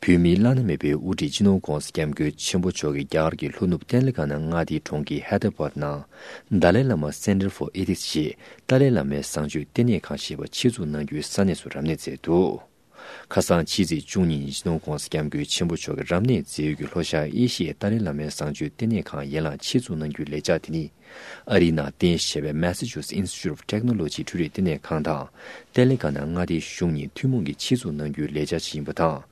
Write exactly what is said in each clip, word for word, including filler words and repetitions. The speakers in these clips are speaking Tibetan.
བོད་མིའི་བླ་ན་མེད་པའི་དབུ་ཁྲིད་སྤྱི་ནོར་༧གོང་ས་༧སྐྱབས་མགོན་ཆེན་པོ་མཆོག་གིས་རྒྱ་གར་གྱི་ལྷོ་ནུབ་ཏེ་ལེ་ག་ན་མངའ་སྡེའི་གྲོང་ཁྱེར་ཧེ་ད་ར་བཱད་ནང་Dalai Lama Center for Ethics ཞེས་ཏཱ་ལའི་བླ་མའི་བཟང་སྤྱོད་ལྟེ་གནས་ཁང་ཞེས་པ་ཆེད་འཛུགས་གནང་རྒྱུའི་ས་གནས་སུ་རབ་གནས་མཛད་འདུག་ཁ་སང་ཕྱི་ཚེས་བཅུ་གཉིས་ཉིན་སྤྱི་ནོར་༧གོང་ས་༧སྐྱབས་མགོན་ཆེན་པོ་མཆོག་གིས་རབ་གནས་མཛད་ཡུལ་གྱི་ལྷོ་ཤར་ཨེ་ཤི་ཡའི་ཏཱ་ལའི་བླ་མའི་བཟང་སྤྱོད་ལྟེ་གནས་ཁང་ཡན་ལག་ཆེད་འཛུགས་གནང་རྒྱུའི་ལས་འཆར་དེ་ནི། ཨ་རིའི་ནང་རྟེན་གཞི་བྱས་པའི་Massachusetts Institute of Technology འཕྲུལ་རིག་ལྟེ་གནས་ཁང་དང་། ཏཱ་ལའི་བཀའ་གནང་མངའ་སྡེའི་གཞུང་གཉིས་ཐུན་མོང་གིས་ཆེད་འཛུགས་གནང་རྒྱུའི་ལས་འཆར་ཞིག་ཡིན་པ་དང་།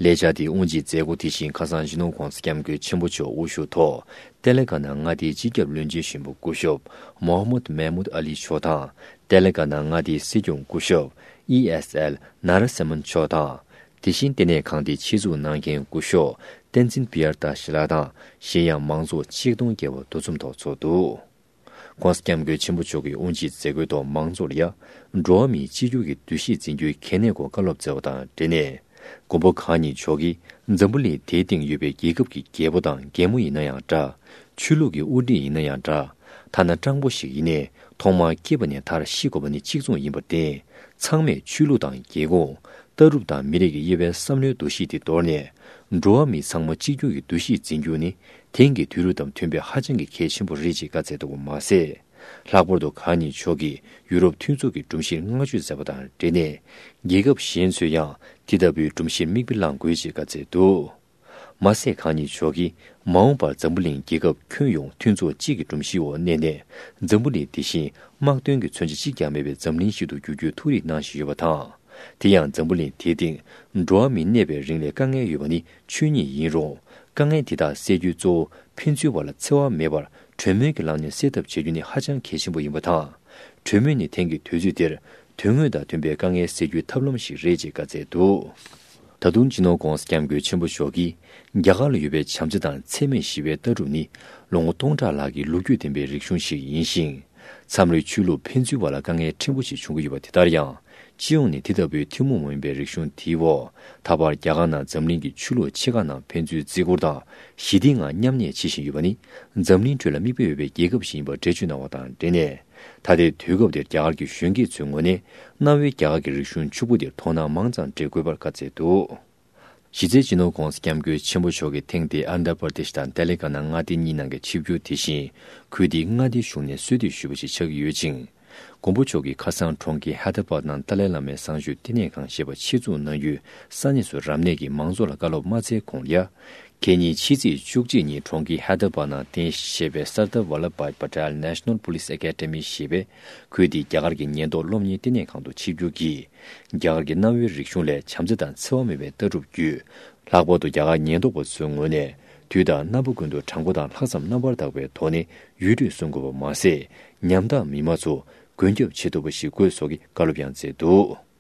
ལས་འཆར་དེའི་དབུ་འབྱེད་མཛད་སྒོ་དེ་བཞིན་ཁ་སང་སྤྱི་ནོར་༧གོང་ས་༧སྐྱབས་མགོན་ཆེན་པོ་མཆོག་དབུ་བཞུགས་ཐོག་ཏཱ་ལའི་བཀའ་གནང་མངའ་སྡེའི་སྤྱི་ཁྱབ་བློན་ཆེན་གཞོན་པ་སྐུ་ཞབས་Mohammad Mahmood Ali མཆོག་དང་། ཏཱ་ལའི་བཀའ་གནང་མངའ་སྡེའི་སྲིད་སྐྱོང་སྐུ་ཞབས་E S L Narasimhan མཆོག་དང་། དེ་བཞིན་ལྟེ་གནས་ཁང་དེའི་ཆེད་འཛུགས་གནང་མཁན་སྐུ་ཞབས་བསྟན་འཛིན་པི་ཡར་ཏ་ཞི་ལགས་དང་། གཞན་ཡང་མང་ཚོགས་ཆིག་སྟོང་བརྒལ་བ་འདུ་འཛོམས་ཐོག་ཚོགས་འདུག ༸གོང་ས་༸སྐྱབས་མགོན་ཆེན་པོ་མཆོག་གིས་དབུ་འབྱེད་མཛད་སྒོའི་ཐོག་མང་ཚོགས་ལ་ཡ། འགྲོ་བ་མིའི་གཅིག་གྱུར་གྱི་འདུ་ཤེས་འཛིན་རྒྱུའི་གལ་གནད་སྐོར་བཀའ་སློབ་སྩལ་བ་དང་འབྲེལ་ནས། མགོན་པོ་གང་ཉིད་མཆོག་གིས་འཛམ་བུ་གླིང་དེའི་སྟེང་ཡོད་པའི་རྒྱལ་ཁབ་ཀྱི་རྒྱལ་པོ་དང་རྒྱལ་མོ་ཡིན་ན་ཡང་འདྲ། ཆོས་ལུགས་ཀྱི་དབུ་ཁྲིད་ཡིན་ན་ཡང་འདྲ། ཐ་ན་སྤྲང་པོ་ཞིག་ཡིན་ནའི་ཐོག་མར་སྐྱེས་པ་ནས་མཐར་ཤི་དགོས་པ་ནི་གཅིག་མཚུངས་ཡིན་པར་བརྟེན། ཚང་མས་ཆོས་ལུགས་དང་རྒྱལ་ཁོངས། ལྟ་གྲུབ་དང་མི་རིགས་ཀྱི་དབྱེ་བའི་བསམ་བློའི་འདུ་ཤེས་དེ་དོར་ནས། འགྲོ་བ་མི་ཚང་མ་གཅིག་གྱུར་གྱི་འདུ་ཤེས་འཛིན་རྒྱུ་ནི། དེང་གི་དུས་རབས་དང་མཐུན་པའི་ཧ་ཅང་གི་གལ་ཆེན་པོ་རེད་ཅེས་བཀའ་སྩལ་འདུག་པ་མ་ཟད། ལྷག་པར་དུ་གང་ཉིད་མཆོག་གིས་ཡུ་རོབ་མཐུན་ཚོགས་ཀྱི་སྒྲོམ་གཞིར་བསྔགས་བརྗོད་མཛད་པ་དང་འབྲེལ་ནས། རྒྱལ་ཁབ་གཞན་ཚོས་ཡང་དེ་ལྟ་བུའི་སྒྲོམ་གཞིར་མིག་དཔེ་བླང་དགོས་ཅེས་བཀའ་སྩལ་འདུག་མ་ཟད་གང་ཉིད་མཆོག་གིས་མ་འོངས་པར་འཛམ་བུ་གླིང་རྒྱལ་ཁབ་ཁྱོན་ཡོངས་མཐུན་ཚོགས་གཅིག་གི་སྒྲོམ་གཞིའི་འོག་གནས་ནས། འཛམ་བུ་གླིང་དེ་བཞིན་དམག་དོན་གྱི་མཚོན་ཆ་གཅིག་ཀྱང་མེད་པའི་འཛམ་གླིང་ཞིག་ཏུ་འགྱུར་རྒྱུའི་ཐུགས་རེ་གནང་བཞིན་ཡོད་པ་དང་། དེ་ཡང་འཛམ་བུ་གླིང་དེའི་སྟེང་འགྲོ་བ་མི་གནས་པའི་རིང་ལ་དཀའ་ངལ་ཡོད་པ་ནི་ཆོས་ཉིད་ཡིན་རུང་། དཀའ་ངལ་དེ་དག་སེལ་རྒྱུའི་གཙོ་བོ་ཕན་ཚུན་བར་ལ་འཚེ་བ་མེད་པར་གྲོས་མོལ་གྱི་ལམ་ནས་སེལ་ཐབས་བྱེད་རྒྱུ་ནི་ཧ་ཅང་གལ་ཆེན་པོ་ཡིན་པ་དང་། གྲོས་མོལ་ནི་དེང་གི་དུས་ཚོད་འདིར་དོན་དངོས་དང་མཐུན་པའི་དཀའ་ངལ་སེལ་རྒྱུའི་ཐབས་ལམ་ཞིག་རེད་ཅེས་བཀའ་སྩལ་འདུག་ད་དུང་སྤྱི་ནོར་༸གོང་ས་༸སྐྱབས་མགོན་ཆེན་པོ་མཆོག་གིས། རྒྱ་གར་ལ་ཡོད་པའི་བྱམས་བརྩེ་དང་འཚེ་མེད་ཞི་བའི་ལྟ་གྲུབ་ནི། ལོ་ངོ་སྟོང་ཕྲག་ལྷག་གི་ལོ་རྒྱུས་ལྡན་པའི་རིག་གཞུང་ཞིག་ཡིན་ཞིང་། མཚམས་རེ་ཆོས་ལུགས་ཕན་ཚུན་བར་ལ་དཀའ་ངལ་ཕྲན་བུ་ཞིག་བྱུང་གི་ཡོད་པ་དེ་ལྟར་ཡང་། སྤྱི་ཡོངས་ནས་དེ་ལྟ་བུའི་ཐུན་མོང་མ་ཡིན་པའི་རིག་གཞུང་དེའི་འོག་ད་བར་རྒྱ་གར་ནང་འཛམ་གླིང་གི་ཆོས་ལུགས་ཆེ་ཁག་ནང་ཕན་ཚུན་བརྩི་བཀུར་དང་ཞི་བདེའི་ངང་མཉམ་གནས་བྱེད་བཞིན་ཡོད་པ་ནི། འཛམ་གླིང་ཁྲོད་ལ་མིག་དཔེ་འོས་པའི་རྒྱལ་ཁབ་ཞིག་ཡིན་པར་འགྲེལ་བརྗོད་གནང་བ་དང་འབྲེལ་ནས། ད་ལྟའི་དུས་སྐབས་འདིར་རྒྱ་གར་གྱི་གཞོན་སྐྱེས་ཚོའི་ངོས་ནས། གནའ་བོའི་རྒྱ་གར་གྱི་རིག་གཞུང་ཕྱུག་པོ་འདིར་དོ་སྣང་མང་ཙམ་སྤྲད་དགོས་པར་བཀའ་སྩལ་འདུག་གཞི་རྩའི་སྤྱི་ནོར་༸གོང་ས་༸སྐྱབས་མགོན་ཆེན་པོ་མཆོག་གིས་ཐེངས་འདིའི་ཨན་དྷྲ་པར་དེཤ་དང་ཏེ་ལེ་ག་ན་མངའ་སྡེ་གཉིས་ནང་གི་ཆིབས་བསྒྱུར་དེ་བཞིན། ཁུལ་དེའི་མངའ་སྡེའི་གཞུང་ནས་གསོལ་འདེབས་ཞུས་པ་ཞིག་ཆགས་ཀྱི་ཡོད་ཅིང་། མགོན་པོ་མཆོག་གིས་ཁ་སང་གྲོང་ཁྱེར་ཧེ་དར་བཱད་ནང་ཏཱ་ལའི་བླ་མའི་བཟང་སྤྱོད་ལྟེ་གནས་ཁང་ཞེས་པ་ཆེད་འཛུགས་གནང་རྒྱུའི་ས་གནས་སུ་རབ་གནས་ཀྱིས་མང་ཚོགས་ལ་བཀའ་སློབ་མ་སྩལ་གོང་ལ་ཡ། ཁེ་ཉིན་ཕྱི་ཚེས་བཅུ་གཅིག་ཉིན་གྲོང་ཁྱེར་ཧེ་དར་བཱད་ནང་རྟེན་གཞི་བྱས་པའི་Sardar Vallabhbhai Patel National Police Academy ཞེས་པའི་ཁུལ་དེའི་རྒྱ་གར་གྱི་ཉེན་རྟོག་སློབ་གཉེར་ལྟེ་གནས་ཁང་དུ་ཆིབས་བསྒྱུར་གྱིས། རྒྱ་གར་གྱི་གནའ་བོའི་རིག་གཞུང་ལས་བྱམས་བརྩེ་དང་འཚེ་བ་མེད་པའི་ལྟ་གྲུབ་བརྒྱུད། ལྷག་པར་དུ་རྒྱ་གར་ཉེན་རྟོག་པ་ཚོའི་ངོས་ནས་དུས་དང་རྣམ་པ་ཀུན་ཏུ་དྲང་པོ་དང་ལྷག་བསམ་རྣམ་པར་དག་པའི་ཐོག་ནས་ཡུལ་གྲུ་སྲུང་དགོས་པ་མ་ཟད། ཉམ་ཐག་མི་མང་ཚོ་མགོན་སྐྱབས་བྱེད་ཐུབ་པ་ཞིག་དགོས་སོགས་ཀྱི་བཀའ་སློབ་ཡང་སྩལ་འདུག